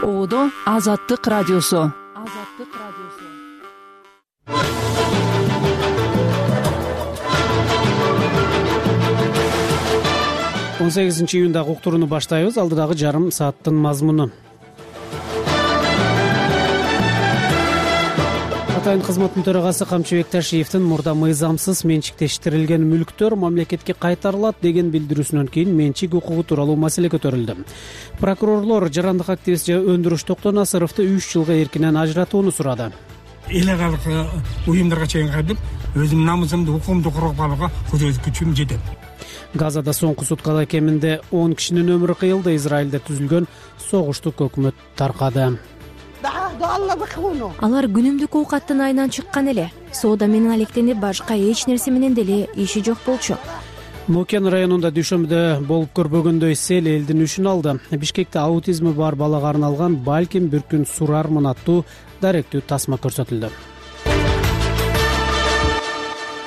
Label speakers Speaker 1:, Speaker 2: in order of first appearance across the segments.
Speaker 1: Оодо Азаттык радиосу.
Speaker 2: 18-июндагы уктурууну баштайбыз. Алдыдагы жарым сааттын мазмуну. Атайын кызматтын төрагасы Камчыбек Ташиевдин мурда мыйзамсыз менчиктештирилген мүлктөр мамлекетке кайтарылат деген билдирүүсүнөн кийин менчик укугу тууралуу маселе көтөрүлдү. Прокурорлор жарандык активист Өндүрүш Токтонасыровду 3 жылга эркинен ажыратууну сурады.
Speaker 3: Эл аралык уюмдарга чейин кайтып, өзүмдүн намысымды, укугумду коргоп алууга күчүм жетет.
Speaker 2: Газада соңку суткада кеминде 10 кишинин өмүрү кыйылды. Израилде түзүлгөн согуштук өкмөт таркады.
Speaker 4: Алар күнүмдүк оокаттын айынан чыккан эле. Соода менен алектенип, башка эч нерсе менен деле иши жок болчу.
Speaker 2: Мокен районунда дүйшөмбүдө болуп көрбөгөндөй сел элдин үшүн алды. Бишкекте аутизми бар балага арналган балким бир күн сурармын аттуу даректүү тасма көрсөтүлдү.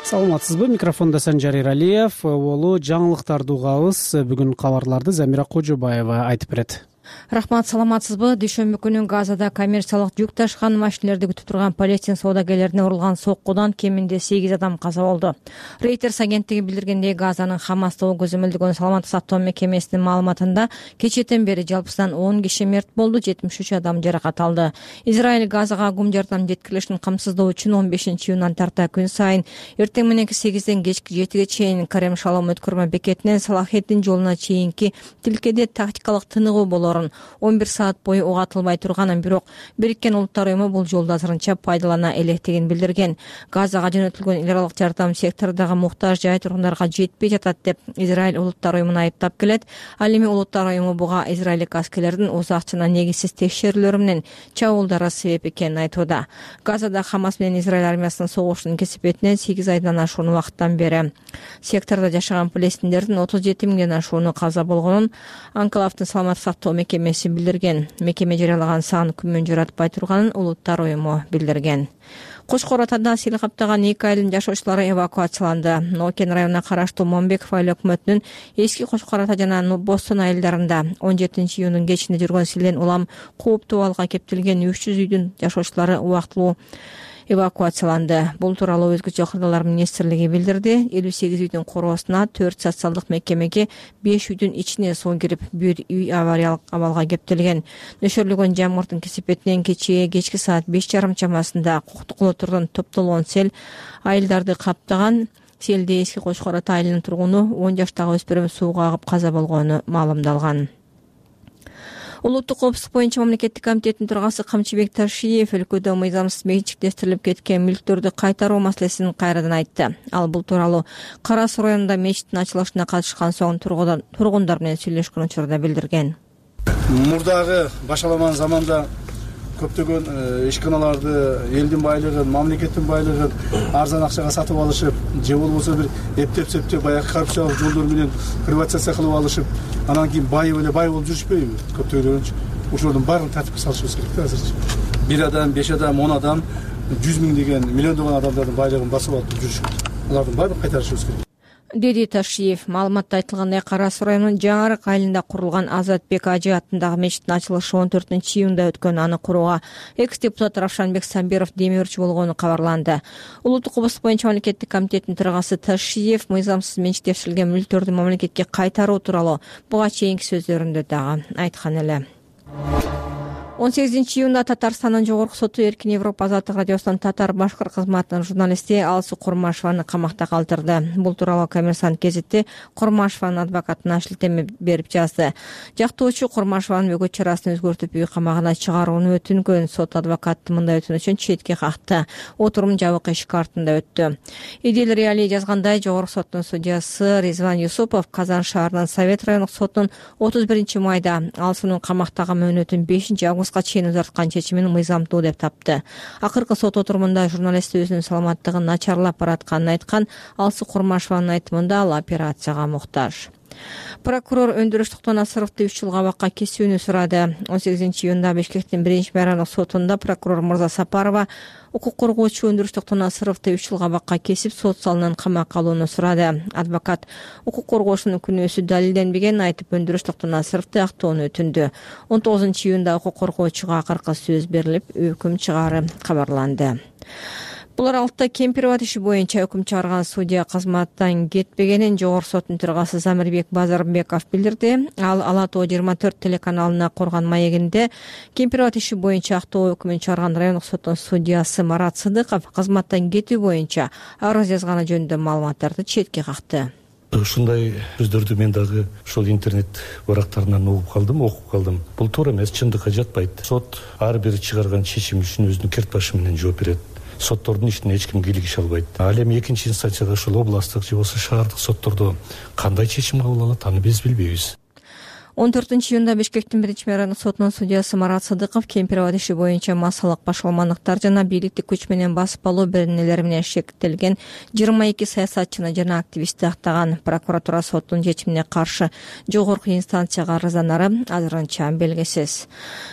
Speaker 2: Саламатсызбы? Микрофондо Санжар Иралиев. Болу жаңылыктарды угабыз. Бүгүн кабарларды Замира Кожобаева айтып берет.
Speaker 5: Рахмат, саламатсызбы? Дүйшөмбү күнү Газада коммерциялык жүк ташкан машинелерди күтүп турган палестин соодагерлерине урулган соккудан кеминде 8 адам каза болду. Reuters агенттиги билдиргендей, Газанын Хамасты көзөмөлдөгөн саламаттык сактоо мекемесинин маалыматында кечээден бери жалпысынан 10 киши мерт болду, 73 адам жаракат алды. Израиль Газага гум жардам жеткирилишин камсыздоо үчүн 15-июндан тарта күн сайын эртең мененки 8ден кечки 7ге чейин Карем Шалом өткөрмө бекетинен Салахеттин жолуна чейинки тилкеде тактикалык тыныгуу болорун 11 саат бою угатылбай турганын, бирок Бириккен Улуттар уюму бул жолду азырынча пайдалана электигин билдирген. Газага жөнөтүлгөн эл аралык жардам сектордогу муктаж жай тургундарга жетпей жатат деп Израиль Улуттар уюмун айыптап келет. Ал эми Улуттар уюму буга израилдик аскерлердин узак жана негизсиз текшерүүлөрү менен чабуулдары себеп экенин айтууда. Газада Хамас менен Израиль армиясынын согушунун кесипетинен 8 айдан ашуун убакыттан бери сектордо жашаган палестиндердин 37 миңден ашууну каза болгонун Анклавдын саламаттык сактоо мекемеси билдирген. Мекеме жарыялаган сан күмөн жаратпай турганын Улуттар уюму билдирген. Кошкор Атада сел каптаган 2 айылдын жашоочулары эвакуацияланды. Нокен районуна караштуу Момбеков айыл өкмөтүнүн эски Кошкор Ата жана Бостон айылдарында 17-июндун кечинде жүргөн селден улам кооптуу абалга кептелген 300 үйдүн жашоочулары убактылуу эвакуацияланды. Бул тууралуу өзгөчө кырдаалар министрлиги билдирди. 58 үйдүн короосуна 4 социалдык мекемеге 5 үйдүн ичине суу кирип, бир үй авариялык абалга кептелген. Нөшөрлөгөн жамгырдын кесипетинен кечки саат 5:30 чамасында Куктукулотурдун топтолгон сел айылдарды каптаган. Селде эски Кошкор Ата айылынын тургуну 10 жаштагы өспүрүм сууга агып каза болгону маалымдалган. Улуттук коопсуздук боюнча мамлекеттик комитеттин төрагасы Камчыбек Ташиев өлкөдө мыйзамсыз менчиктештирилип кеткен мүлктөрдү кайтаруу маселесин кайрадан айтты. Ал бул тууралуу Кара Суу районунда мечиттин ачылышына катышкан соң тургундар менен сүйлөшкөн учурда билдирген.
Speaker 6: Мурдагы башаламан заманда көптөгөн ишканаларды, элдин байлыгын, мамлекеттин байлыгын арзан акчага сатып алышып, же болбосо бир эптеп баягы коррупциялык жолдор менен приватизация кылып алышып, анан кийин байып эле бай болуп жүрүшпөйбү? Көптөгөнчү ушулардын баарын тартипке салышыбыз керек да азырчы. 1 адам, 5 адам, 10 адам, 100 миң деген, миллиондогон адамдардын байлыгын басып алып жүрүшөт. Алардын баарын кайтарышыбыз керек,
Speaker 5: деди Ташиев. Маалыматта айтылгандай, Кара Суу районунун Жаңы Арык айылында курулган Азатбек Ажы аттындагы мечиттин ачылышы 14-июнда өткөн. Аны курууга экс-депутат Равшанбек Сабиров демөөрчү болгону кабарланды. Улуттук коопсуздук боюнча мамлекеттик комитеттин төрагасы Ташиев мыйзамсыз менчиктештирилген мүлктөрдү мамлекетке кайтаруу тууралуу буга чейинки сөздөрүндө дагы айткан эле. 18-июнда Татарстандын жогорку соту Эркин Европа азаттык радиосунун татар-башкыр кызматынын журналисти Алсу Курмашеваны камакта калтырды. Бул тууралуу Коммерсант гезити Курмашеванын адвокатына шилтеме берип жазды. Жактоочу Курмашеванын өгөт чарасын өзгөртүп үй камагына чыгарууну өтүнгөн. Сот адвокаты мындай өтүнүчүн четке какты. Отурум жабык эшик артында өттү. Идил Реалий жазгандай, жогорку соттун судьясы Ризван Юсупов Казан шаарынын Совет райондук сотунун 31-майда Алсунун камактагы мөөнөтүн 5-августка чейин узарткан чечимин мыйзамдуу деп тапты. Акыркы сот отурумунда журналист өзүнүн саламаттыгын начарлап баратканын айткан. Алсу Курмашеванын айтымында ал операцияга муктаж. Прокурор Өндүрүш Токтонасыровду 3 жыл абакка кесүүнү сурады. 18 июнда Бишкектин 1-майрандык сотунда прокурор Мырза Сапарова укук коргоочу Өндүрүш Токтонасыровду 3 жыл абакка кесип, сот залынан камакка алууну сурады. Адвокат укук коргоочунун күнөөсү далилденбегенин айтып, Өндүрүш Токтонасыровду актоону өтүндү. 19 июнда укук коргоочуга акыркы сөз берилип, өкүм чыгаары кабарланды. Бул аралыкта Кемпирбат иши боюнча өкүм чыгарган судья кызматтан кетпегенин Жогорку соттун төрагасы Замирбек Базарбеков билдирди. Ал Ала Тоо 24 телеканалына коргон маегинде Кемпирбат иши боюнча актоо өкүмүн чыгарган райондук соттун судьясы Марат Сыдыков кызматтан кетүү боюнча арыз жазганы жөнүндө маалыматтарды четке какты.
Speaker 7: Ушундай сөздөрдү мен дагы ушул интернет барактарынан окуп калдым. Бул туура эмес, чындыкка жатпайт. Сот ар бир чыгарган чечим үчүн өзүнүн керт башы менен жооп берет. Соттордун ишине эч ким кийлигише албайт. Ал эми экинчи инстанцияда ушул областтык же болбосо шаардык соттордо кандай чечим кабыл алат, аны биз билбейбиз. 14
Speaker 5: июнда Бишкектин 1-майрандык сотунун судьясы Марат Сыдыков Кемпирбат иши боюнча массалык башаламандыктар жана бийликтик күч менен басып алуу беренелери менен шектелген 22 саясатчыны жана активистти актаган. Прокуратура соттун чечимине каршы жогорку инстанцияга арызданары азырынча белгисиз.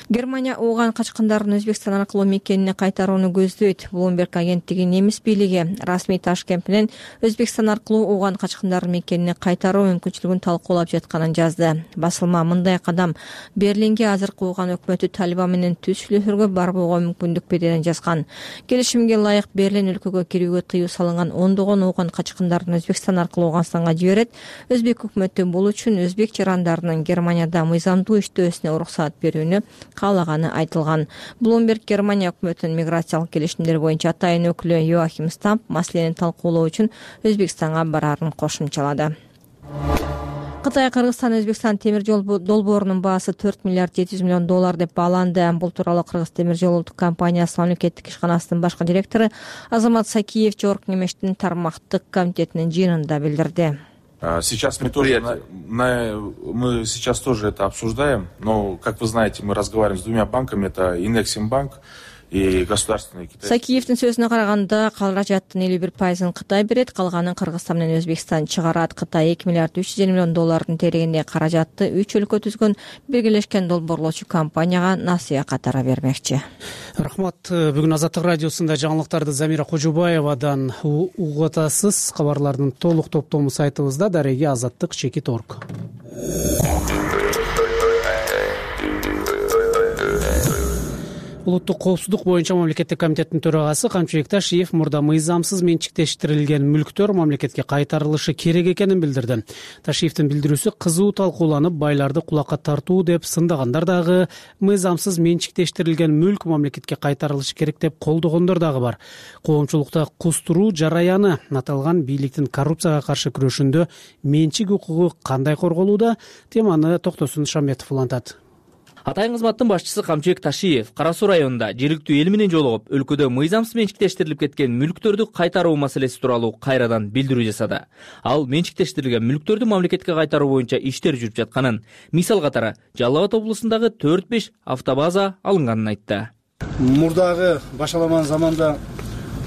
Speaker 5: Германия ууган качкындардын Өзбекстан аркылуу мекенине кайтарууну көздөйт. Bloomberg агенттиги немис бийлиги расмий Ташкент менен Өзбекстан аркылуу ууган качкындардын мекенине кайтаруу мүмкүнчүлүгүн талкуулап жатканын жазды. Мындай кадам Берлинге азыркы ууган өкмөтү Талибан менен түзүлүүгө барбоого мүмкүндүк берерин жазган. Келишимге ылайык Берлин өлкөгө кирүүгө тыюу салынган ондогон ууган качкындардын Өзбекстан аркылуу Ооганстанга жиберет. Өзбек өкмөтү бул үчүн өзбек жарандарынын Германияда мыйзамдуу иштөөсүнө уруксат берүүнү каалаганы айтылган. Bloomberg Германия өкмөтүнүн миграциялык келишимдер боюнча атайын өкүлү Йоахим Стамп маселени талкуулоо үчүн Өзбекстанга бараарын кошумчалады. Кытай Кыргызстан Өзбекстан темир жол долбоорунун баасы 4 миллиард 700 миллион доллар деп бааланды. Бул тууралуу Кыргыз темир жол улуттук компаниясынын мамлекеттик ишканасынын башкы директору Азамат Сакиев Жогорку Кеңештин тармактык комитетинин жыйынында билдирди.
Speaker 8: Сейчас мы сейчас тоже это обсуждаем, но, как вы знаете, мы разговариваем с двумя банками, это Инексимбанк и государственный Китай.
Speaker 5: Сакиевдин сөзүнө караганда, каражаттын 51% Кытай берет, калганын Кыргызстан менен Өзбекстан чыгарат. Кытай 2 миллиард 300 миллион доллардын терегинде каражатты 3 өлкө түзгөн биргелешкен долбоорлоочу компанияга насыя катары бермекчи.
Speaker 2: Рахмат. Бүгүн Азаттык радиосунда жаңылыктарды Замира Кожубаевадан угуп атасыз. Кабарлардын толук топтому сайтыбызда дареги azattik.org. Улуттук коопсуздук боюнча мамлекеттик комитеттин төрагасы Камчыбек Ташиев мурда мыйзамсыз менчиктештирилген мүлктөр мамлекетке кайтарылышы керек экенин билдирди. Ташиевдин билдирүүсү кызуу талкууланып, байларды кулакка тартуу деп сындагандар дагы, мыйзамсыз менчиктештирилген мүлк мамлекетке кайтарылышы керек деп колдогондор дагы бар. Коомчулукта кустуруу жараяны аталган бийликтин коррупцияга каршы күрөшүндө менчик укугу кандай корголууда? Теманы Токтосун Шаметов улантат.
Speaker 9: Атайын кызматтын башчысы Камчыбек Ташиев Кара Суу районунда жергиликтүү эл менен жолугуп, өлкөдө мыйзамсыз менчиктештирилип кеткен мүлктөрдү кайтаруу маселеси тууралуу кайрадан билдирүү жасады. Ал менчиктештирилген мүлктөрдү мамлекетке кайтаруу боюнча иштер жүрүп жатканын, мисал катары Жалал Абад облусундагы 4-5 автобаза алынганын айтты.
Speaker 6: Мурдагы башаламан заманда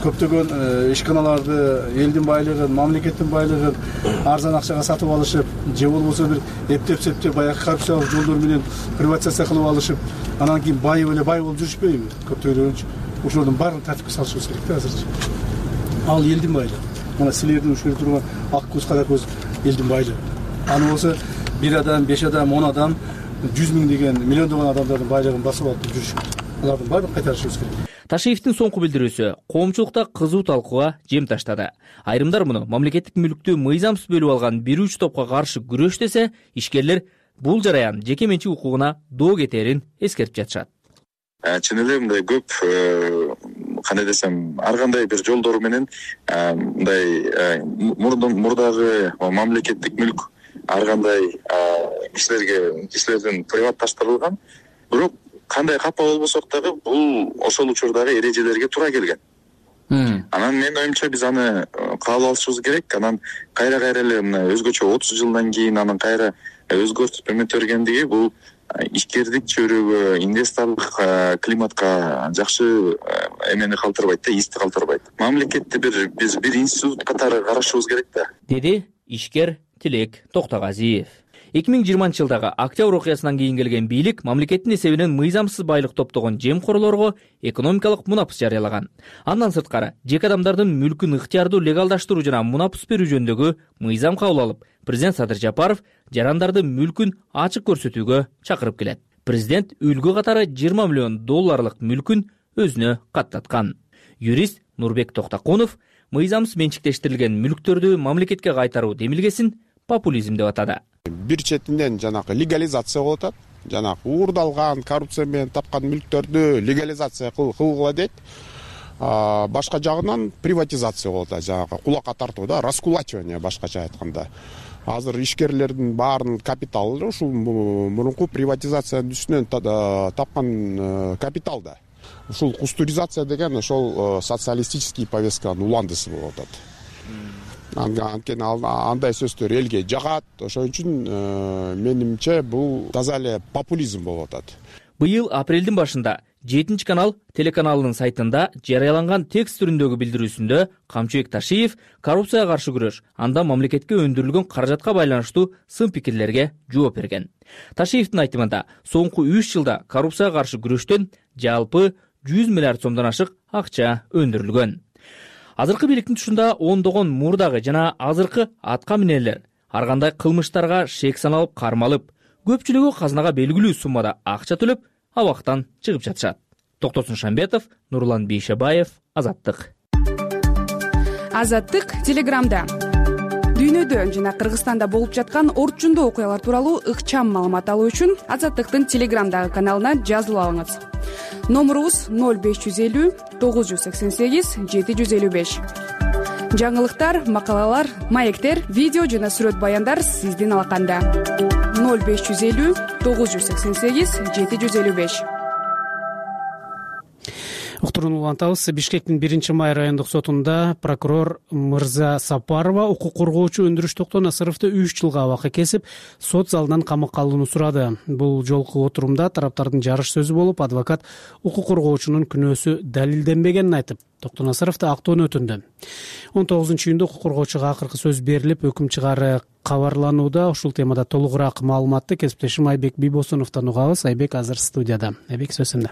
Speaker 6: көптөгөн ишканаларды, элдин байлыгын, мамлекеттин байлыгын арзан акчага сатып алышып, же болбосо бир эптеп-септеп баягы коррупциялык жолдор менен приватизация кылып алышып, анан кийин бай болуп жүрүшпөйбү? Көптөгөн ошолордун баарын тартипке салышыбыз керек да азырчы. Ал элдин байлыгы. Мына силердин ушул турган ак көз, кара көз элдин байлыгы. Аны болсо 1 адам, 5 адам, 10 адам, 100 миң деген миллиондогон адамдардын байлыгын басып алып жүрүшөт. Алардын баарын кайтарышыбыз керек.
Speaker 9: Ташиевдин соңку билдирүүсү коомчулукта кызуу талкууга жем таштады. Айрымдар муну мамлекеттик мүлктү мыйзамсыз бөлүп алган бир үч топко каршы күрөш десе, ишкерлер бул жараян жеке менчик укугуна доо кетерин эскертип жатышат.
Speaker 10: Чын эле мындай көп, кандай десем, ар кандай бир жолдор менен мындай мурдагы мамлекеттик мүлк ар кандай кишилердин приватташтырылган. Бирок кандай капа болбосок дагы бул ошол учурдагы эрежелерге туура келген. Анан мен оюмча биз аны кабыл алышыбыз керек. Анан кайра эле мына өзгөчө 30 жылдан кийин анын кайра өзгөртүп бергендиги бул ишкердик чөйрөгө, инвесторлук климатка жакшы эмени калтырбайт да, исти калтырбайт. Мамлекетти биз бир институт катары карашыбыз керек да.
Speaker 9: Деди ишкер Тилек Токтогазиев. 2020-жылдагы октябрь окуясынан кийин келген бийлик мамлекеттин эсебинен мыйзамсыз байлык топтогон жемкорлорго экономикалык мунапыс жарыялаган. Андан сырткары жеке адамдардын мүлкүн ыктыярдуу легалдаштыруу жана мунапыс берүү жөнүндөгү мыйзам кабыл алып, президент Садыр Жапаров жарандардын мүлкүн ачык көрсөтүүгө чакырып келет. Президент үлгү катары $20 миллион мүлкүн өзүнө каттаткан. Юрист Нурбек Токтокунов мыйзамсыз менчиктештирилген мүлктөрдү мамлекетке кайтаруу демилгесин популизм деп атады.
Speaker 11: Бир четинен жанагы легализация болуп атат. Жанагы уурдалган, коррупция менен тапкан мүлктөрдү легализация кылгыла дейт. Башка жагынан приватизация болуп атат. Жанагы кулакка тартуу да, раскулачивание башкача айтканда. Азыр ишкерлердин баарынын капиталы ушул мурунку приватизациянын үстүнөн тапкан капитал да. Ушул кустуризация деген ошол социалистический повестканын уландысы болуп атат. Анткени андай сөздөр элге жагат. Ошон үчүн менимче бул таза эле популизм болуп атат.
Speaker 9: Быйыл апрелдин башында 7 канал телеканалынын сайтында жарыяланган текст түрүндөгү билдирүүсүндө Камчыбек Ташиев коррупцияга каршы күрөш, анда мамлекетке өндүрүлгөн каражатка байланыштуу сын пикирлерге жооп берген. Ташиевдин айтымында, соңку 3 жылда коррупцияга каршы күрөштөн жалпы 100 миллиард сомдон ашык акча өндүрүлгөн. Азыркы бийликтин тушунда ондогон мурдагы жана азыркы атка минелер ар кандай кылмыштарга шек саналып кармалып, көпчүлүгү казынага белгилүү суммада акча төлөп, абактан чыгып жатышат. Токтосун Шамбетов, Нурлан Бейшебаев, Азаттык.
Speaker 12: Азаттык Телеграмда. Дүйнөдө жана Кыргызстанда болуп жаткан орчундуу окуялар тууралуу ыкчам маалымат алуу үчүн Азаттыктын Телеграмдагы каналына жазылып алыңыз. Номурубуз 0550 988 755. Жаңылыктар, макалалар, маектер, видео жана сүрөт баяндар сиздин алаканда. 0550 988 755.
Speaker 2: Уктурууну улантабыз. Бишкектин 1-май райондук сотунда прокурор Мырза Сапарова укук коргоочу Өндүрүш Токтонасыровду 3 жылга абакка кесип, сот залынан камакка алууну сурады. Бул жолку отурумда тараптардын жарыш сөзү болуп, адвокат укук коргоочунун күнөөсү далилденбегенин айтып, Токтонасыровду актоону өтүндү. 19-июнда укук коргоочуга акыркы сөз берилип, өкүм чыгаары кабарланууда. Ушул темада толугураак маалыматты кесиптешим Айбек Бийбосуновдон угабыз. Айбек азыр студияда. Айбек, сөз сенде.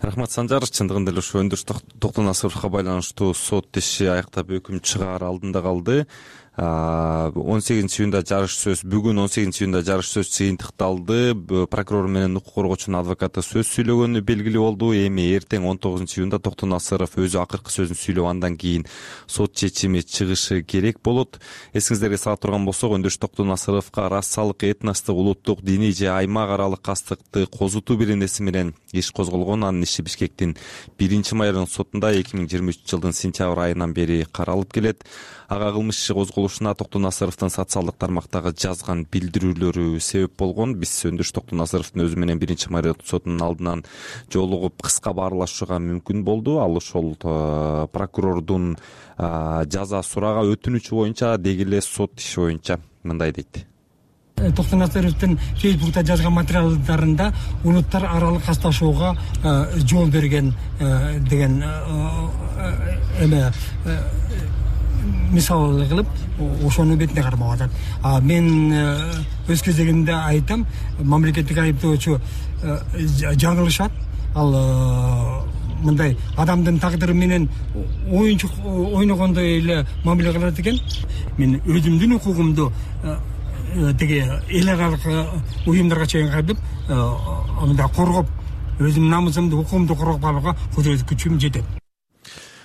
Speaker 13: Рахмат, Санжар. Чындыгында эле ушу Өндүрүш Токтонасыровго байланыштуу сот иши аяктап өкүм чыгаар алдында калды. 18-июнда жарыш сөз, бүгүн 18-июнда жарыш сөз жыйынтыкталды. Прокурор менен укук коргоочунун адвокаты сөз сүйлөгөнү белгилүү болду. Эми эртең 19-июнда Токтонасыров өзү акыркы сөзүн сүйлөп, андан кийин сот чечими чыгышы керек болот. Эсиңиздерге сала турган болсок, Өндүрүш Токтонасыровго расалык, этностук, улуттук, диний же аймак аралык кастыкты козутуу беренеси менен иш козголгон. Анын иши Бишкектин 1-май райондук сотунда 2023 жылдын сентябрь айынан бери каралып келет. Ага кылмыш иши козголушуна Токтонасыровдун социалдык тармактагы жазган билдирүүлөрү себеп болгон. Биз Өндүрүш Токтонасыровдун өзү менен 1-май райондук сотунун алдынан жолугуп кыска баарлашууга мүмкүн болду. Ал ошол прокурордун жаза сурага өтүнүчү боюнча, деги эле сот иши боюнча мындай дейт.
Speaker 3: Токтонасыровдун Фейсбукта жазган материалдарында улуттар аралык касташууга жол берген деген эме мисал кылып ошону бетине кармап атат. Мен өз кезегимде айтам, мамлекеттик айыптоочу жаңылышат. Ал мындай адамдын тагдыры менен оюнчук ойногондой эле мамиле кылат экен. Мен өзүмдүн укугумду деги эл аралык уюмдарга чейин кайтып, мындай коргоп, өзүмдүн намысымды, укугумду коргоп алууга күчүм жетет.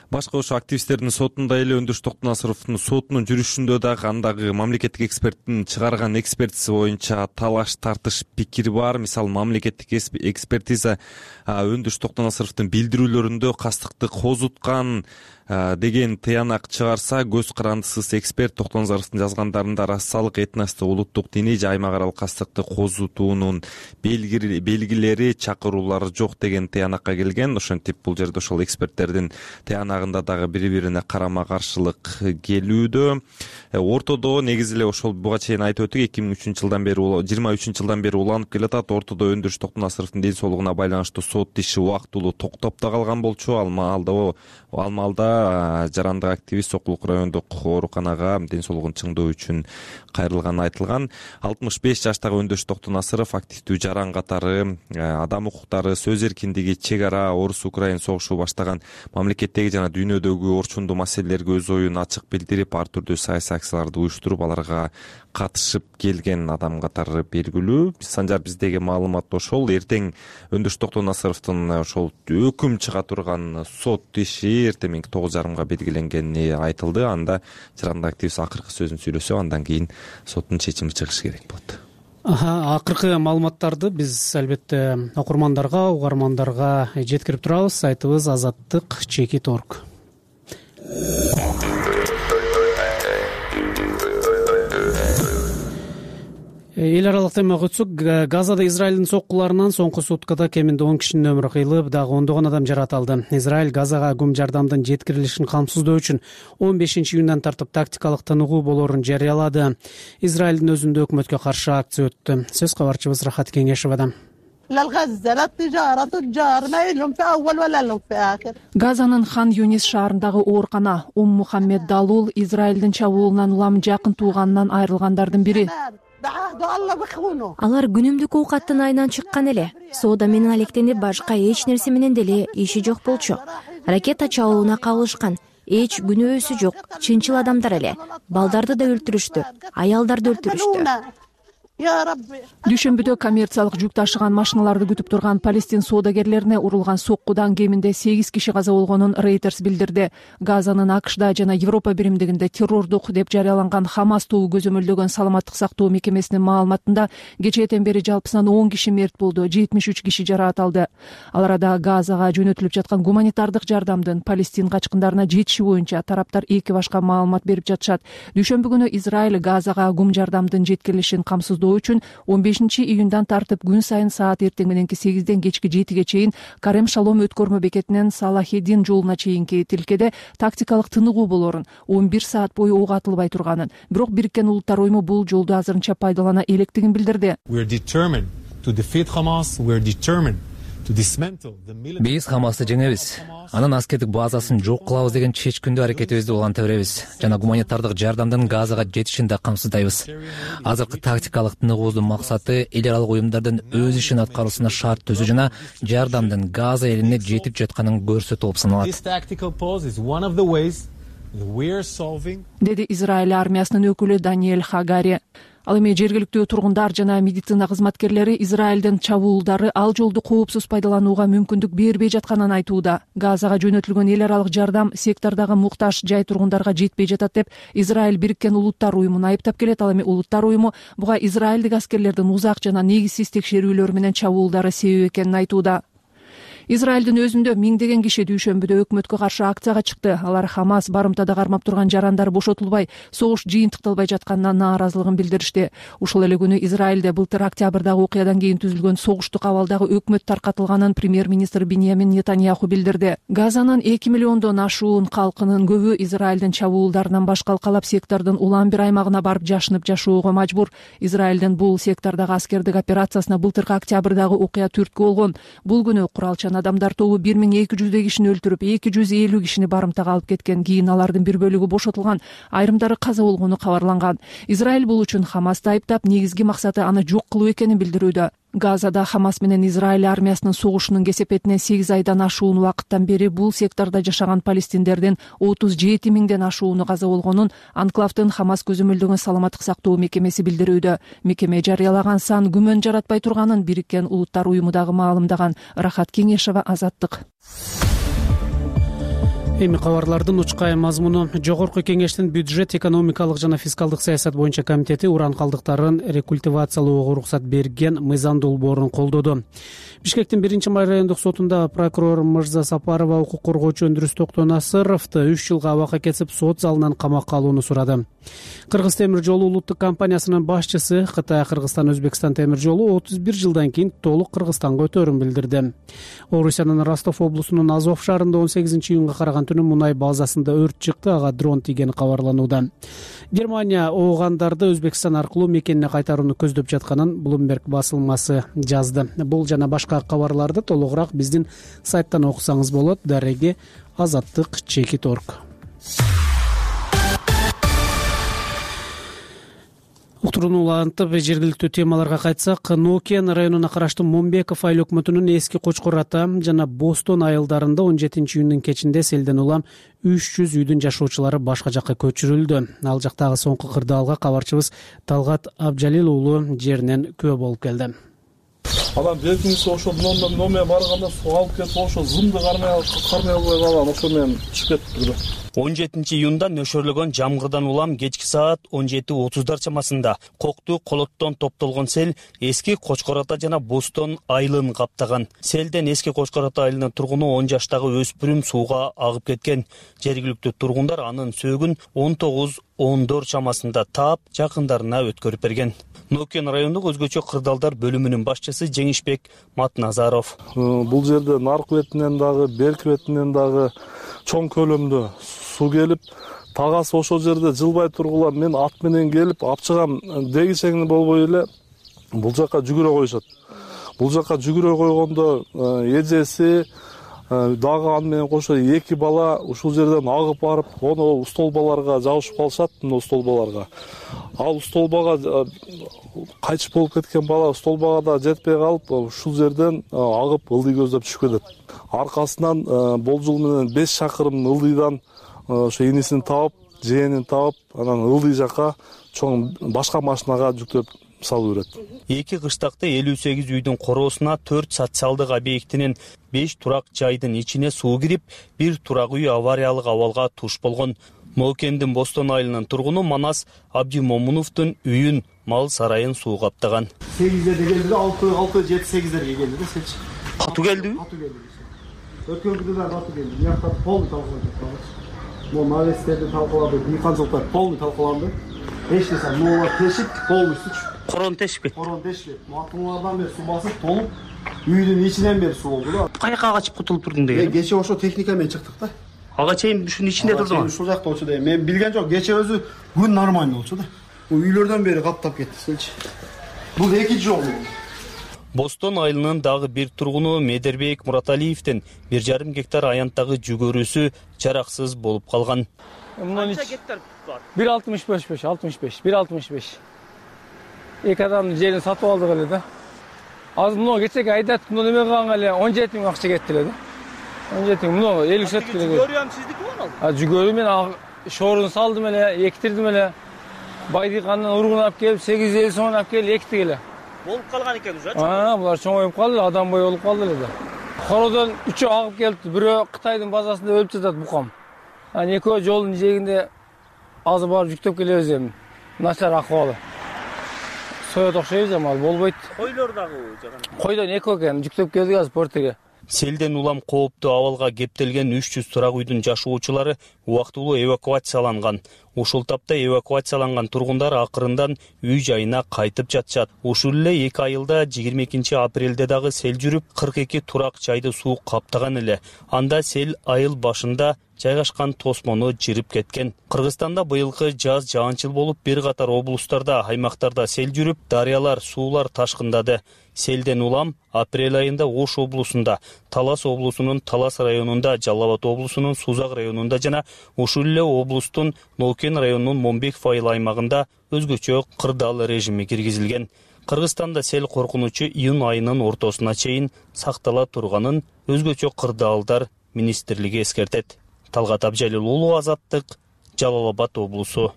Speaker 13: Башка ошо активисттердин сотунда эле Өндүрүш Токтонасыровдун сотунун жүрүшүндө дагы андагы мамлекеттик эксперттин чыгарган экспертиси боюнча талаш тартыш пикир бар. Мисалы, мамлекеттик экспертиза Өндүрүш Токтонасыровдун билдирүүлөрүндө кастыкты козуткан деген тыянак чыгарса, көз карандысыз эксперт Токтонасыровдун жазгандарында расалык, этностук, улуттук, диний же аймак аралык кастыкты козутуунун белгилери, чакыруулары жок деген тыянакка келген. Ошентип бул жерде ошол эксперттердин тыянагы тармагында дагы бири бирине карама каршылык келүүдө. Ортодо негизи эле ошол буга чейин айтып өттүк, 2003 жылдан бери 23 жылдан бери уланып келатат. Ортодо Өндүрүш Токтонасыровдун ден соолугуна байланыштуу сот иши убактылуу токтоп да калган болчу. Ал маалда жарандык активист Сокулук райондук ооруканага ден соолугун чыңдоо үчүн кайрылганы айтылган. 65 жаштагы Өндүрүш Токтонасыров активдүү жаран катары адам укуктары, сөз эркиндиги, чек ара, Орус-Украин согушу баштаган мамлекеттеги жана дүйнөдөгү орчундуу маселелерге өз оюн ачык билдирип, ар түрдүү саясий акцияларды уюштуруп, аларга катышып келген адам катары белгилүү. Санжар, биздеги маалымат ошол. Эртең Өндүрүш Токтонасыровдун ошол өкүм чыга турган сот иши эртең 9:30 белгиленгени айтылды. Анда жарандык активист акыркы сөзүн сүйлөсө, андан кийин соттун чечими чыгышы керек болот.
Speaker 2: Акыркы маалыматтарды биз албетте окурмандарга, угармандарга жеткирип турабыз. Сайтыбыз azattik.org. Эл аралык темага өтсөк, Газада Израилдин соккуларынан соңку суткада кеминде 10 кишинин өмүрү кыйылып, дагы ондогон адам жаратылды. Израиль Газага гум жардамдын жеткирилишин камсыздоо үчүн 15-июндан тартып тактикалык тыныгуу болоорун жарыялады. Израилдин өзүндө өкмөткө каршы акция өттү. Сөз кабарчыбыз Рахат Кеңешевадан.
Speaker 1: Газанын Хан Юнис шаарындагы оорукана Мухаммед Далул Израилдин чабуулунан улам жакын тууганынан айрылгандардын бири.
Speaker 4: Алар күнүмдүк оокаттын айынан чыккан эле. Соода менен алектенип, башка эч нерсе менен деле иши жок болчу. Ракета чабуулуна кабылышкан. Эч күнөөсү жок, чынчыл адамдар эле. Балдарды да өлтүрүштү, аялдарды өлтүрүштү.
Speaker 1: Дүйшөмбүдө коммерциялык жүк ташыган машиналарды күтүп турган Палестин соодагерлерине урулган соккудан кеминде 8 киши каза болгонун Reuters билдирди. Газанын АКШда жана Европа биримдигинде террордук деп жарыяланган Хамас тобу көзөмөлдөгөн саламаттык сактоо мекемесинин маалыматында кечээден бери жалпысынан 10 киши мерт болду, 73 киши жараат алды. Ал арада Газага жөнөтүлүп жаткан гуманитардык жардамдын Палестин качкындарына жетиши боюнча тараптар эки башка маалымат берип жатышат. Дүйшөмбү күнү Израиль Газага гум жардамдын жеткирилишин камсыздоо үчүн 15-июндан тартып күн сайын саат эртең мененки 8ден кечки 7ге чейин Карем Шалом өткөрмө бекетинен Салахеддин жолуна чейинки тилкеде тактикалык тыныгуу болоорун, 11 саат бою ок атылбай турганын, бирок Бириккен Улуттар уюму бул жолду азырынча пайдалана электигин билдирди.
Speaker 14: Биз Хамасты жеңебиз. Анын аскердик базасын жок кылабыз деген чечкиндүү аракетибизди уланта беребиз жана гуманитардык жардамдын Газага жетишин да камсыздайбыз. Азыркы тактикалык тыныгуудун максаты эл аралык уюмдардын өз ишин аткаруусуна шарт түзүү жана жардамдын Газа элине жетип жатканын көрсөтүү болуп саналат,
Speaker 1: деди Израиль армиясынын өкүлү Даниэль Хагари. Ал эми жергиликтүү тургундар жана медицина кызматкерлери Израилдин чабуулдары ал жолду коопсуз пайдаланууга мүмкүндүк бербей жатканын айтууда. Газага жөнөтүлгөн эл аралык жардам сектордагы муктаж жай тургундарга жетпей жатат деп Израиль Бириккен Улуттар уюмун айыптап келет. Ал эми Улуттар уюму буга израилдик аскерлердин узак жана негизсиз текшерүүлөр менен чабуулдары себеп экенин айтууда. Израилдин өзүндө миңдеген киши дүйшөмбүдө өкмөткө каршы акцияга чыкты. Алар Хамас барымтада кармап турган жарандар бошотулбай, согуш жыйынтыкталбай жатканына нааразылыгын билдиришти. Ушул эле күнү Израилде былтыр октябрдагы окуядан кийин түзүлгөн согуштук абалдагы өкмөт таркатылганын премьер-министр Биньямин Нетаньяху билдирди. Газанын 2 миллиондон ашуун калкынын көбү Израилдин чабуулдарынан баш калкалап сектордун улам бир аймагына барып жашынып жашоого мажбур. Израилдин бул сектордагы аскердик операциясына былтыркы октябрдагы окуя түрткү болгон. Бул күнү куралчан адамдар тобу 1200 кишини өлтүрүп, 250 кишини барымтага алып кеткен. Кийин алардын бир бөлүгү бошотулган, айрымдары каза болгону кабарланган. Израиль бул үчүн Хамасты айыптап, негизги максаты аны жок кылуу экенин билдирүүдө. Газада Хамас менен Израиль армиясынын согушунун кесепетине 8 айдан ашуун убакыттан бери бул сектордо жашаган палестиндердин 37 миңден ашууну каза болгонун анклавдын Хамас көзөмөлдөгөн саламаттык сактоо мекемеси билдирүүдө. Мекеме жарыялаган сан күмөн жаратпай турганын Бириккен Улуттар уюму дагы маалымдаган. Рахат Кеңешева, Азаттык.
Speaker 2: Эми кабарлардын учкай мазмуну. Жогорку кеңештин бюджет, экономикалык жана фискалдык саясат боюнча комитети уран калдыктарын рекультивациялоого уруксат берген мыйзам долбоорун колдоду. Бишкектин 1-май райондук сотунда прокурор Мырза Сапарова укук коргоочу Өндүрүш Токтонасыровду 3 жылга абакка кетип сот залынан камакка алууну сурады. Кыргыз темир жолу улуттук компаниясынын башчысы Кытай Кыргызстан Өзбекстан темир жолу 31 жылдан кийин толук Кыргызстанга өтөөрүн билдирди. Орусиянын Ростов облусунун Азов шаарында 18-июнга караган өкмөтүнүн мунай базасында өрт чыкты, ага дрон тийгени кабарланууда. Германия оогандарды Өзбекстан аркылуу мекенине кайтарууну көздөп жатканын Bloomberg басылмасы жазды. Бул жана башка кабарларды толугураак биздин сайттан окусаңыз болот. Дареги azattik.org. Уктурууну улантып, жергиликтүү темаларга кайтсак, Нокен районуна караштуу Момбеков айыл өкмөтүнүн Эски Кочкор ата жана Бостон айылдарында 17-июндун кечинде селден улам 300 үйдүн жашоочулары башка жакка көчүрүлдү. Ал жактагы соңку кырдаалга кабарчыбыз Талгат Абжалил уулу жеринен күбө болуп келди.
Speaker 15: Адам беркинсе ошо номер барганда суу алып кетип ошо зымды кармай албай калган, ошо менен чыгып кетти.
Speaker 16: 17-июнда нөшөрлөгөн жамгырдан улам кечки саат 17:30 чамасында Кокту Колоттон топтолгон сел Эски Кочкор ата жана Бостон айылын каптаган. Селден Эски Кочкор ата айылынын тургуну 10 жаштагы өспүрүм сууга агып кеткен. Жергиликтүү тургундар анын сөөгүн 19:14 чамасында таап, жакындарына өткөрүп берген. Нокен райондук өзгөчө кырдаалдар бөлүмүнүн башчысы Жеңишбек Матназаров.
Speaker 15: Бул жерде наркы бетинен дагы, берки бетинен дагы чоң көлөмдө суу келип, тагасы ошол жерде жылбай тургула мен ат менен келип апчыгам дегичеңи болбой эле бул жака жүгүрө коюшат. Бул жака жүгүрө койгондо эжеси дагы аны менен кошо 2 бала ушул жерден агып барып, ону устолбаларга жабышып калышат, мына устолбаларга. Ал устолбага кайтыш болуп кеткен бала устолбага да жетпей калып, ушул жерден агып ылдый көздөп түшүп кетет. Аркасынан болжол менен 5 шакырым ылдыйдан ошо инисин таап, жээнин таап, анан ылдый жака чоң башка машинага жүктөп салып берет.
Speaker 16: Эки кыштакта 58 үйдүн короосуна 4 социалдык объектинин 5 турак жайдын ичине суу кирип, 1 турак үй авариялык абалга туш болгон. Нокендин Бостон айылынын тургуну Манас Абдимомуновдун үйүн, мал сарайын суу каптаган.
Speaker 6: 8-дерге келди, 6-7-8-дерге келди да сеч.
Speaker 16: Катуу келдиби?
Speaker 6: Катуу келди. Өткөн да катуу келди. Бияктар полный талкаланды. Могу навестерди талкаланды, дыйканчылыктар полный талкаланды. Эч нерсе, могу тешип, полностью
Speaker 16: корон тешпейт.
Speaker 6: Корон тешпейт. Матыңлардан бери суу басып, толуп, үйдүн ичинен бери суу болду да.
Speaker 16: Каяка качып кутулуп турдуң деген?
Speaker 6: Кече ошо техника менен чыктык да.
Speaker 16: Ага чейин ушунун ичинде турдуң.
Speaker 6: Ушул жакта болчу дейм. Мен билген жок, кече өзү күн нормально болчу да. Үйлөрдөн бери каптап кетти. Бул экинчи жолу.
Speaker 16: Бостон айылынын дагы бир тургуну Медербек Мураталиевдин 1,5 гектар аянттагы жүгөрүсү жараксыз болуп калган.
Speaker 17: Канча гектар бар? 1,65. Эки адамдын жерин сатып алдык эле да. Азыр мына кечеге айдат, мына неме кылганга эле 17 миң акча кетти эле да. 17 миң, мына 50 сот керек.
Speaker 16: Жүгөрү ham сиздики болду?
Speaker 17: Жүгөрү мен шорун салдым эле, эктирдим эле. Байдыкандан ургун алып келип 850 сом алып келип эктик эле.
Speaker 16: Болуп калган экен уже.
Speaker 17: Булар чоңоюп калды, адам бой болуп калды эле да. Кородон 3 агып келди, бирөө Кытайдын базасында өлүп жатат букам. Анан экөө жолдун жээгинде азыр барып жүктөп келебиз эми. Начар акыбалы. Соёт окшойбуз эми, болбойт.
Speaker 16: Койлор дагы жаган.
Speaker 17: Койдон экөө экен, жүктөп келдик азыр портеге.
Speaker 16: Селден улам кооптуу абалга кептелген 300 турак үйдүн жашоочулары убактылуу эвакуацияланган. Ушул тапта эвакуацияланган тургундар акырындан үй жайына кайтып жатышат. Ушул эле 2 айылда 22 апрелде дагы сел жүрүп, 42 турак жайды суу каптаган эле. Анда сел айыл башында жайгашкан тосмону жырып кеткен. Кыргызстанда быйылкы жаз жаанчыл болуп, бир катар облустарда, аймактарда сел жүрүп, дарыялар, суулар ташкындады. Селден улам апрель айында Ош облусунда, Талас облусунун Талас районунда, Жалал Абад облусунун Сузак районунда жана ушул эле облустун Нокен районунун Момбеков айыл аймагында өзгөчө кырдаал режими киргизилген. Кыргызстанда сел коркунучу июнь айынын ортосуна чейин сактала турганын өзгөчө кырдаалдар министрлиги эскертет. Талгат Абжалил уулу, Азаттык, Жалал Абад облусу.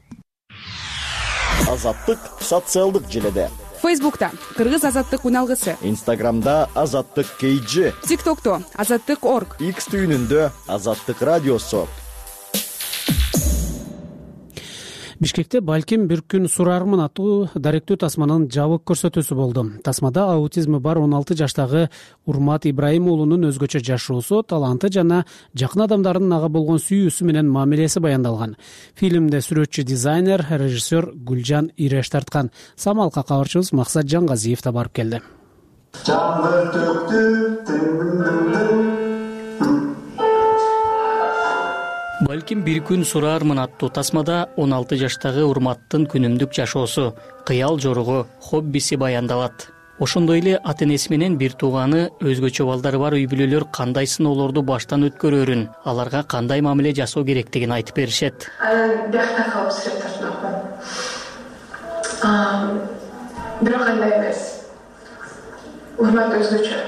Speaker 18: Азаттык социалдык желеде.
Speaker 12: Фейсбукта Кыргыз азаттык уналгысы.
Speaker 18: Инстаграмда Азаттык KG.
Speaker 12: ТикТокто Азаттык.org.
Speaker 18: X түйүнүндө Азаттык радиосу.
Speaker 2: Бишкекте балким бир күн сурармын аттуу даректүү тасманын жабык көрсөтүүсү болду. Тасмада аутизми бар 16 жаштагы Урмат Ибраим уулунун өзгөчө жашоосу, таланты жана жакын адамдардын ага болгон сүйүүсү менен мамилеси баяндалган. Фильмде сүрөтчү, дизайнер, режиссер Гүлжан Иреш тарткан. Самалка кабарчыбыз Максат Жангазиев да барып келди.
Speaker 19: Балким бир күн сураармын аттуу тасмада 16 жаштагы Урматтын күнүмдүк жашоосу, кыял жоругу, хоббиси баяндалат. Ошондой эле ата-энеси менен бир тууганы өзгөчө балдары бар үй бүлөлөр кандай сыноолорду баштан өткөрөрүн, аларга кандай мамиле жасоо керектигин айтып беришет.
Speaker 20: Биякта калып сүрөт тартмакмын. Бирок андай эмес. Урмат өзгөчө.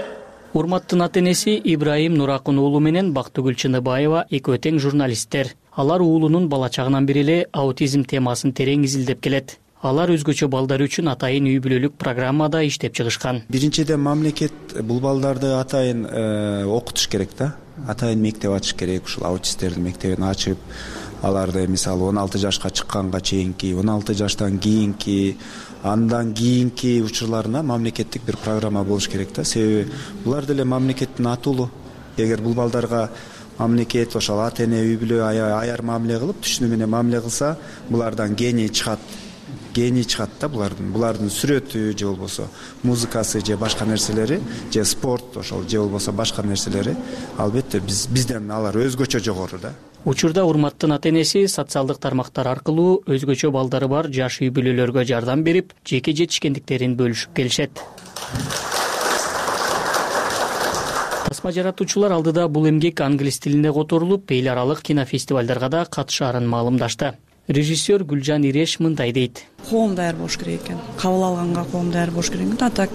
Speaker 19: Урматтын ата-энеси Ибраим Нуракун уулу менен Бактыгүл Чыныбаева экөө тең журналисттер. Алар уулунун бала чагынан бери эле аутизм темасын терең изилдеп келет. Алар өзгөчө балдар үчүн атайын үй бүлөлүк программада иштеп чыгышкан.
Speaker 21: Биринчиден мамлекет бул балдарды атайын окутуш керек да. Атайын мектеп ачыш керек. Ушул аутисттердин мектебин ачып, аларды мисалы 16 жашка чыкканга чейинки, 16 жаштан кийинки, андан кийинки учурларына мамлекеттик бир программа болуш керек да. Себеби булар деле мамлекеттин атуулу. Эгер бул балдарга мамлекет ошол ата-эне үй бүлө аяр мамиле кылып, түшүнүү менен мамиле кылса, булардан гений чыгат да булардын сүрөтү же болбосо музыкасы же башка нерселери же спорт ошол же болбосо башка нерселери албетте бизден алар өзгөчө жогору да.
Speaker 19: Учурда Урматтын ата-энеси социалдык тармактар аркылуу өзгөчө балдары бар жаш үй бүлөлөргө жардам берип, жеке жетишкендиктерин бөлүшүп келишет. Тасма жаратуучулар алдыда бул эмгек англис тилинде которулуп, эл аралык кинофестивалдарга да катышаарын маалымдашты. Режиссер Гүлжан Иреш мындай дейт.
Speaker 22: Коом даяр болуш керек экен. Кабыл алганга коом даяр болуш керек экен. Так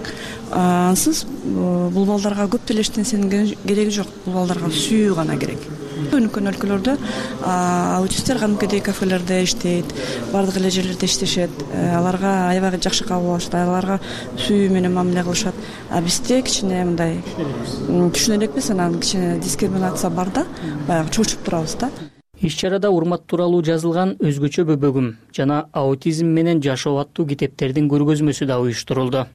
Speaker 22: ансыз бул балдарга көп деле эчтенесенин кереги жок. Бул балдарга сүйүү гана керек. Өнүккөн өлкөлөрдө аутисттер кадимкидей кафелерде иштейт, бардык эле жерлерде иштешет. Аларга аябай жакшы кабыл алышат, аларга сүйүү менен мамиле кылышат. Бизде кичине мындай түшүнө элекпиз, анан кичине дискриминация бар да, баягы чочуп турабыз да.
Speaker 19: Иш-чарада Урмат тууралуу жазылган өзгөчө бөбөгүм жана аутизм менен жашоо аттуу китептердин көргөзмөсү да уюштурулду.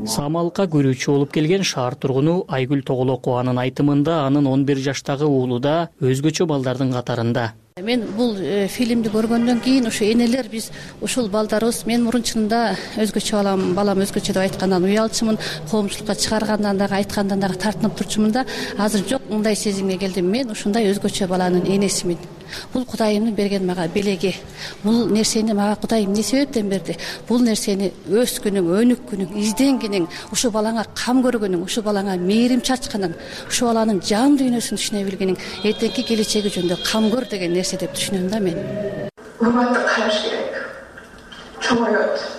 Speaker 19: Самалыкка көрүүчү болуп келген шаар тургуну Айгүл Тоголокованын айтымында анын 11 жаштагы уулу да өзгөчө балдардын катарында.
Speaker 23: Мен бул фильмди көргөндөн кийин ошо энелер биз ушул балдарыбыз мен мурун чынында өзгөчө балам өзгөчө деп айткандан уялчумун, коомчулукка чыгаргандан дагы айткандан дагы тартынып турчумун да. Азыр жок, мындай сезимге келдим. Мен ушундай өзгөчө баланын энесимин. Бул Кудайымдын берген мага белеги. Бул нерсени мага Кудайым эмне себептен берди? Бул нерсени өскүнүң, өнүккүнүң, изденгениң, ушу балаңа кам көргөнүң, ушу балаңа мээрим чачканың, ушу баланын жан дүйнөсүн түшүнө билгениң, эртеңки келечеги жөнүндө кам көр деген нерсе деп түшүнөм да мен.
Speaker 20: Урматты караш керек. Чоңойот.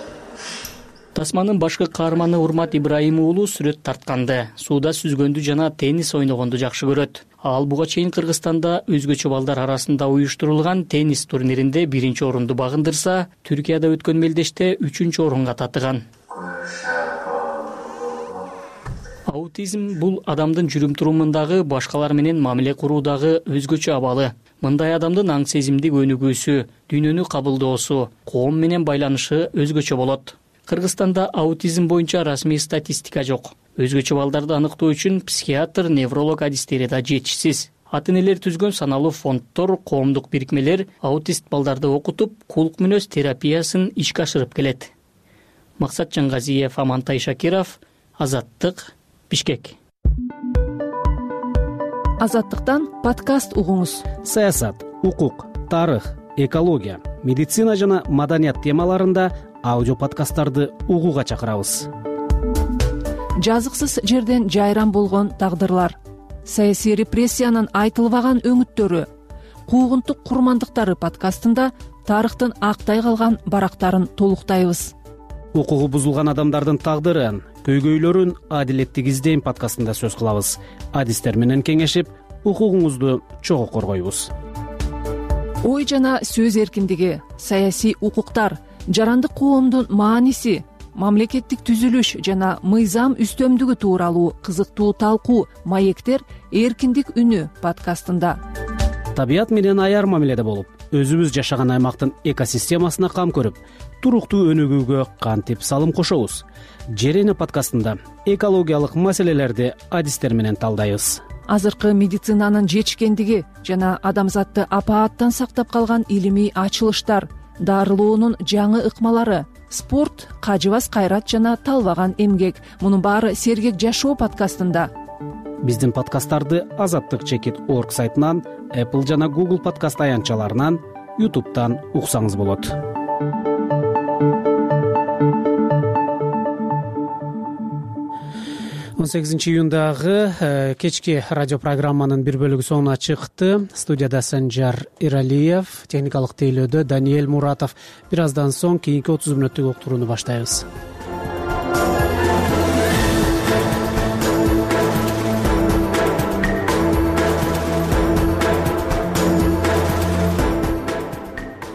Speaker 19: Тасманын башкы каарманы Урмат Ибраим уулу сүрөт тартканды, сууда сүзгөндү жана теннис ойногонду жакшы көрөт. Ал буга чейин Кыргызстанда өзгөчө балдар арасында уюштурулган теннис турниринде 1 орунду багындырса, Түркияда өткөн мелдеште 3 орунга татыган. Аутизм бул адамдын жүрүм-турумундагы башкалар менен мамиле куруудагы өзгөчө абалы. Мындай адамдын аң сезимдик өнүгүүсү, дүйнөнү кабылдоосу, коом менен байланышы өзгөчө болот. Кыргызстанда аутизм боюнча расмий статистика жок. Өзгөчө балдарды аныктоо үчүн психиатр, невролог адистери да жетишсиз. Ата-энелер түзгөн саналуу фонддор, коомдук бирикмелер аутист балдарды окутуп, кулк мүнөз терапиясын ишке ашырып келет. Максат Жангазиев, Амантай Шакиров, Азаттык, Бишкек.
Speaker 1: Азаттыктан подкаст угуңуз.
Speaker 2: Саясат, укук, тарых, экология, медицина жана маданият темаларында аудио подкасттарды угууга чакырабыз.
Speaker 1: Жазыксыз жерден жайран болгон тагдырлар, саясий репрессиянын айтылбаган өңүттөрү, куугунтук курмандыктары подкастында тарыхтын актай калган барактарын толуктайбыз.
Speaker 2: Укугу бузулган адамдардын тагдырын, көйгөйлөрүн адилеттик издейм подкастында сөз кылабыз. Адистер менен кеңешип, укугуңузду чогуу коргойбуз.
Speaker 1: Ой жана сөз эркиндиги, саясий укуктар, жарандык коомдун мааниси, мамлекеттик түзүлүш жана мыйзам үстөмдүгү тууралуу кызыктуу талкуу маектер эркиндик үнү подкастында.
Speaker 2: Табият менен аяр мамиледе болуп, өзүбүз жашаган аймактын экосистемасына кам көрүп, туруктуу өнүгүүгө кантип салым кошобуз? Жерене подкастында экологиялык маселелерди адистер менен талдайбыз.
Speaker 1: Азыркы медицинанын жетишкендиги жана адамзатты апааттан сактап калган илимий ачылыштар, дарылоонун жаңы ыкмалары, спорт, кажыбас кайрат жана талбаган эмгек. Мунун баары Сергек жашоо подкастында.
Speaker 2: Биздин подкасттарды azattik.org сайтынан, Apple жана Google подкаст аянтчаларынан, YouTube'дан уксаңыз болот. 18 июндагы кечки радио программанын бир бөлүгү соңуна чыкты. Студияда Санжар Иралиев, техникалык тейлөөдө Даниэль Муратов. Бир аздан соң кийинки 30 мүнөттүк уктурууну баштайбыз.